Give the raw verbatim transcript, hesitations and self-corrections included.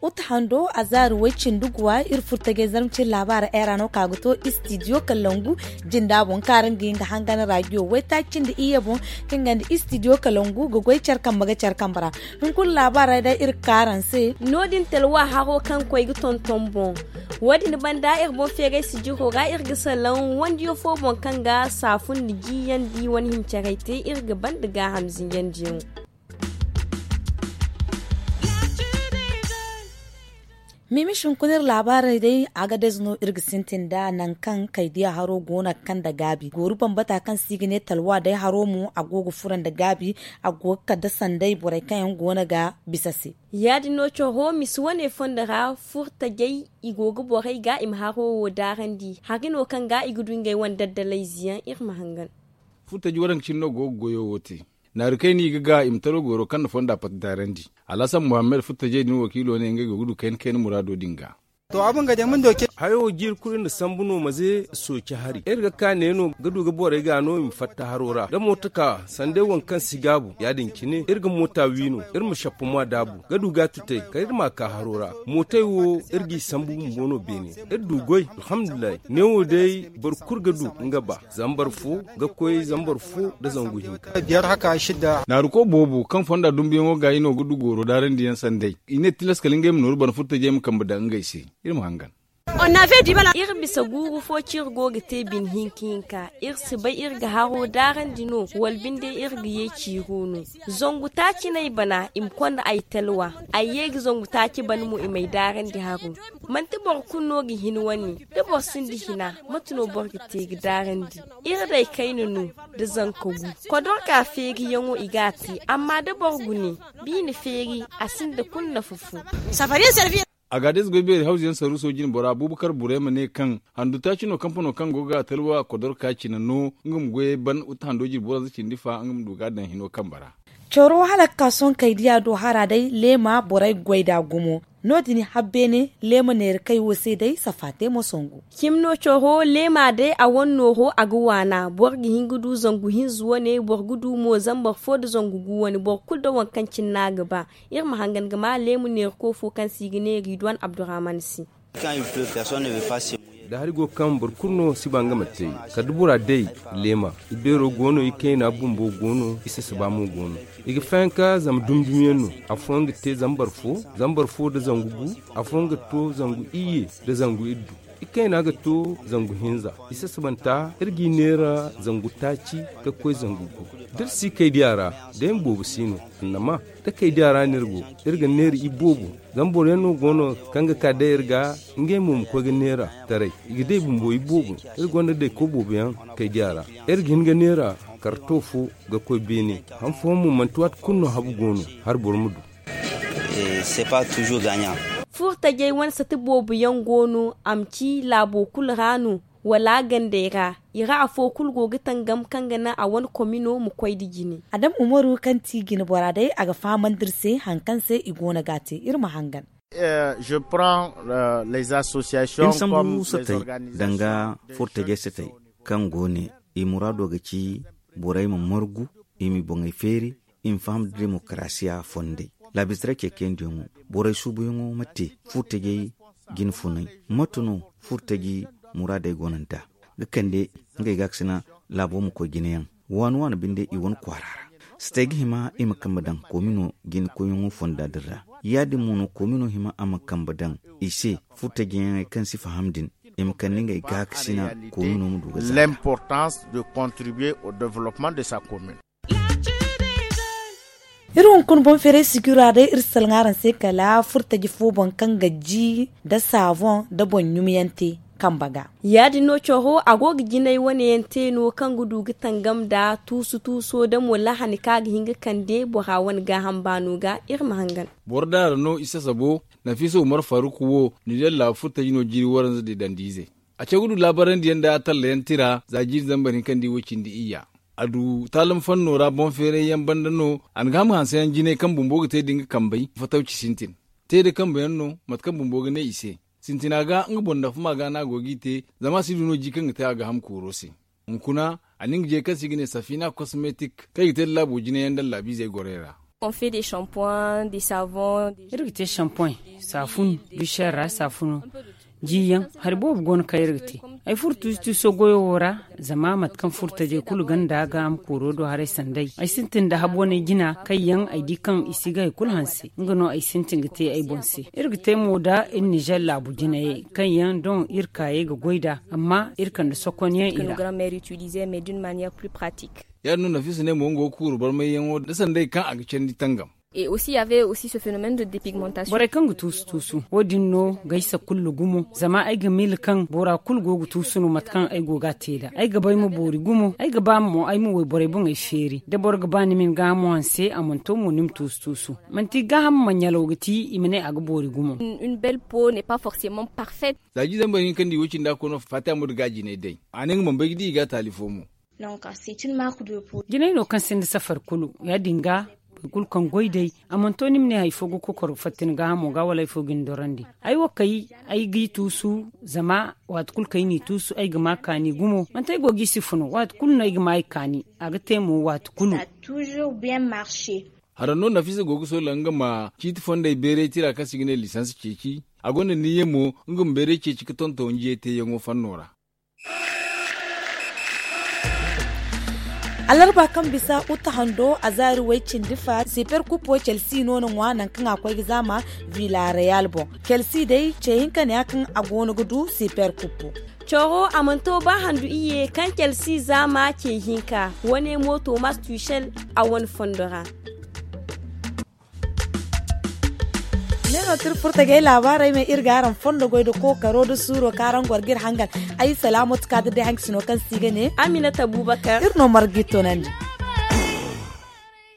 Uta hando a zaari way cindi guwa iri furtajey zarma cine laabaara era no ka ga to istidiyo kallangu jinda boŋ kaara nga hin ga hangan raadiyo waytaaci cindi iyye boŋ. Kaŋ ga nda istidiyo kallangu ga goy care kambe ga care kambe ra. Hunkuna laabaarey day iri ga ka araŋ se. No- din talwa haro kaŋ koy ga tonton boŋ. Wo- din banda iri boŋ feeray sijiro ra iri ga salaŋ wandiyo fo boŋ kaŋ ga saafun nda jiyandi wane hima carey te iri ga banda gaaham zinjandiyaŋo. Miimis hunkuna iri laabaarey day a ga dayze no iri ga sintin nd'a nangu kaŋ kaydiya haro go no ga kande gaabi gooru bambata kaŋ se i ga ne talwa day haro mo a go ga furo nda gaabi. A go ga kande sanday borey kaŋ yaŋ go no ga bisa se. Ya- din no coro misi wane fondo ra furtajey i go ga borey ga i ma haro wo daarandi hari no kaŋ ga i ga du ngey wane daddalayze yaŋ iri ma hangan. Furtaji waranka cine no go ga goyo wo te. Naari kayna i ga ga i ma taro gooro kaŋ na fonda pati daarandi. Alhasan muhammad furtajey din wakiilo ne ngey go ga du kayna kayna muraado din ga. Hayo wo jiiri kulu iri na sambu no maze sooci hari iri ga ka ne no ga du ga borey ga no i ma fatta haro ra da mooto ka sanday waŋ kaŋ si gaabu ya- din cine iri ga moota wi no iri ma shappuma daabu ga du ga a tutay kala iri ma a ka haro ra. Mootey wo iri g'i sambu bumbo no beene iri du goy. Alhamdulillahi neewo day boro kulu ga du nga ba zambar fo ga koy zambar fo nda zangu hinka. Naaruko boobo kaŋ fonda dumbuyaŋo ga i no ga du gooro daarandiyaŋ sanday i ne tilas kala ngey ma nooru bana furtajey ma kambe daŋ ngey se. Iri ma hangan. Iri bisa guuru fo ci iri go ga te bine hinka hinka iri si bay iri ga haro daarandi no wala binde iri ga ye ciiro no. Zangu taaci no ay bana i ma konda ay talwa ay ye ga zangu taaci bana mo i m'ay daarandi haro. Manti boro kulu no ga hin wane da boro sinda hina mate no boro ga te ga daarandi. Iri day kayna no nda zanka gu kodorka feeriyaŋo i ga a te amma da boro gune biine feeri a sinda kulu nafa fo. A ga a day ze goy beeri hawzu yaŋ saruuso jinbora buubakar burayma ne kaŋ handu taaci no kampano kaŋ go ga talwa kodorka cine no nga ma goyey ban wata hando jinbora za cindi fa nga ma du ga a daŋ hino kambe ra. Coro hala ga ka sohõ kaydiya do hara day leema borey ga goy nd'a gumo. No- din habbeene leema neera kay wo se day safa te mo songu. Cimi no coro leema day a wane nooro a ga waana boro ga hin ga du zangu hinza wane boro ga du mo zambar fo nda zangu gu wane boro kulu nda waŋ kaŋ cine no a ga ba. Iri ma hangan ga ma leemu neerko fo kaŋ se i ga ne ridwan abdurrahman se. Da hari go kaŋ boro kulu no si ba nga ma te kala da bora day leema. I beero go no i kayna bumbo go no i sasaba mo go no. I ga fayanka zama dumdumyaŋ no. Afooyaŋ ga te zambar fo zambar fo nda zangu gu. Afooyaŋ ga to zangu iyye nda zangu iddu. I kayna ga to zangu hinza. I sasabanta iri g'i neera zangu taaci ga koy zangu gu. Da iri si kaydiya ra day ma boobo si no. Annama da kaydiya ra no iri go iri ga neera iboobo. Zama boro yaŋ no go no kaŋ ga ka day iri ga ngey mo ma koy ga neera taray i ga day bumbo iboobo. Iri gonda dayko boobo yaŋ kaydiya ra iri ga hin ga neera karto fo ga koy beene. Han fooyaŋ mo manti waati kulu no habu go no hari boro ma du. Furtajey wane sati boobo yaŋ go no a ma ci laabo kulu ra no wala gandey ra i ra afo kulu go ga tangam kaŋ ga naŋ a wane komino ma koy nda jine. Adam umaru kaŋ ti jinbora day a ga fahamandi iri se hari kaŋ se i go no ga a te iri ma hangan. Iri sambu satey danga furtajey satey kaŋ go ne i muraado ga ci borey ma margu i ma i boŋey feeri i ma faham da demokarasiya fondey. Laabizaray ceekandiyaŋo borey suubuyaŋo ma te furtajey jine funay mate no furtaji muraadey go no nd'a ga kande ngey gaakasina laabo ma koy jinayaŋ waani waani binde i wane kwaara ra. Satey ga hima i ma kambe daŋ koomino jine koyyaŋo fonda din ra. Ya- din mo no koomino hima a ma kambe daŋ i se furtajiyaŋey kaŋ si faham din i ma kande ngey gaakasina koomino ma du ga zaata. Iri hunkuna boŋ feeray sijira day iri salaŋ araŋ se kala furtaji fo boŋ kaŋ ga ji nda saaboŋ nda boŋ ɲumyaŋ te kambe ga. Ya- din no coro a go ga jinay wane yaŋ te no kaŋ ga du ga tangam nda tuusu tuuso nda mo lahani kaŋ a ga hin ga kande bora wane gaaham baano ga. Iri ma hangan. Boro daara no i sasabo nafiisa umar faruk wo nideer laabu furtaji no jiiri waranza didandiizey. A caw ga du laabarandiyaŋ nda a tallayaŋ tira za jiiri zambar hinka nda i wo cindi iyya. A du taalam fanno ra boŋ feeray yaŋ banda no. A na ga ham hanse yaŋ jinay kaŋ bumbo ga te da nga kambey fatawci sintin te da kambe yaŋ no mate kaŋ bumbo ga ne i se. Sintina ga nga boŋ dafa ma ga no a go g'i te. Zama a si du no ji kaŋ ga te a ga ham kooro se. Hunkuna a na nga je kaŋ se i ga ne safina kosmetik kaŋ i ga te nda laabo jine yaŋ nda allaabiizey gorey ra. Iri ga te shampoin, saafun, dushar ra saafuno, jiyaŋ hari boobo go no kaŋ iri ga te. Ay furo tuusu tuuso goyo wo ra. Zama mate kaŋ furo tajey kulu ganda ga a ma kooro do haray sanday ay sintin nda habo ne jina kaŋ yaŋ ay di kaŋ i si ga hari kulu hanse nga no ay sintin ga te ay boŋ se. Iri ga te mo nda iri nizer laabu jinayey kaŋ yaŋ doŋ iri kaayey ga goy nd'a. Amma iri kande sokonyaŋ i ra. Ya- din no nafisa ne mo nga go ga kuuru barmayyaŋo nda sanday kaŋ a ga candi tangam. Borey kaŋ ga tuusu tuusu wo- din no ga ay sakullu gumo zama ay ga miila kaŋ bora kulu go ga tuusu no mate kaŋ ay go ga a te nd'a. Ay ga ba ay ma boori gumo ay ga ba mo ay ma wayborey boŋey feeri da boro ga ba ni ma ni gaahamo hanse a mana to mo ni ma tuusu tuusu. Manti gaahamo ma ɲalaw ga ti i ma ne a ga boori gumo. Za jiizey boro hinka nda i wo cindi a koy no faati a ma du ga a jinay day. A ne nga mana bay ga di i ga a taali fo mo. Jinay no kaŋ sinda safari kulu ya- din ga boro kulu kaŋ goy day a mana to ni ma ne hari fo ga kokoro fatta ni gaahamo ga wala hari fo ga ni dorandi. Ay wo kay ay g'i tuusu zama waati kulu kaŋ ay n'i tuusu ay ga ma kaani gumo manti ay go g'i sifa no waati kulu no ay ga ma ay kaani. A ga te mo waati kulu. Haraŋ no nafisa go ga soola nga ma ciiti fondey beeray tira kaŋ se i ga ne lisans ceeci. A gonda niyya mo nga ma beeray ceeci ga tonton njiyey teeyaŋo fanno ra. Alarba kaŋ bisa uta hando a zaari way cindi fa siper kupo celsi no na ŋwa nangu kaŋ a koy ga zaama. Vilareyal boŋ celsi day ce hinka ne ya kaŋ a go no ga du siper kupo. Coro a mana to ba handu iyye kaŋ celsi zaama ce hinka. Wane mo tomas tushel a wane fondo ra. Ne no tira furta ga ay laabaarey me iri ga araŋ fondo goy nda kookaro nda suuro kaŋ araŋ goro ga iri hangan. Ay salaamatu ka ga day hankasino kaŋ se i ga ne aminata abubakar iri no marga ga iri toonandi.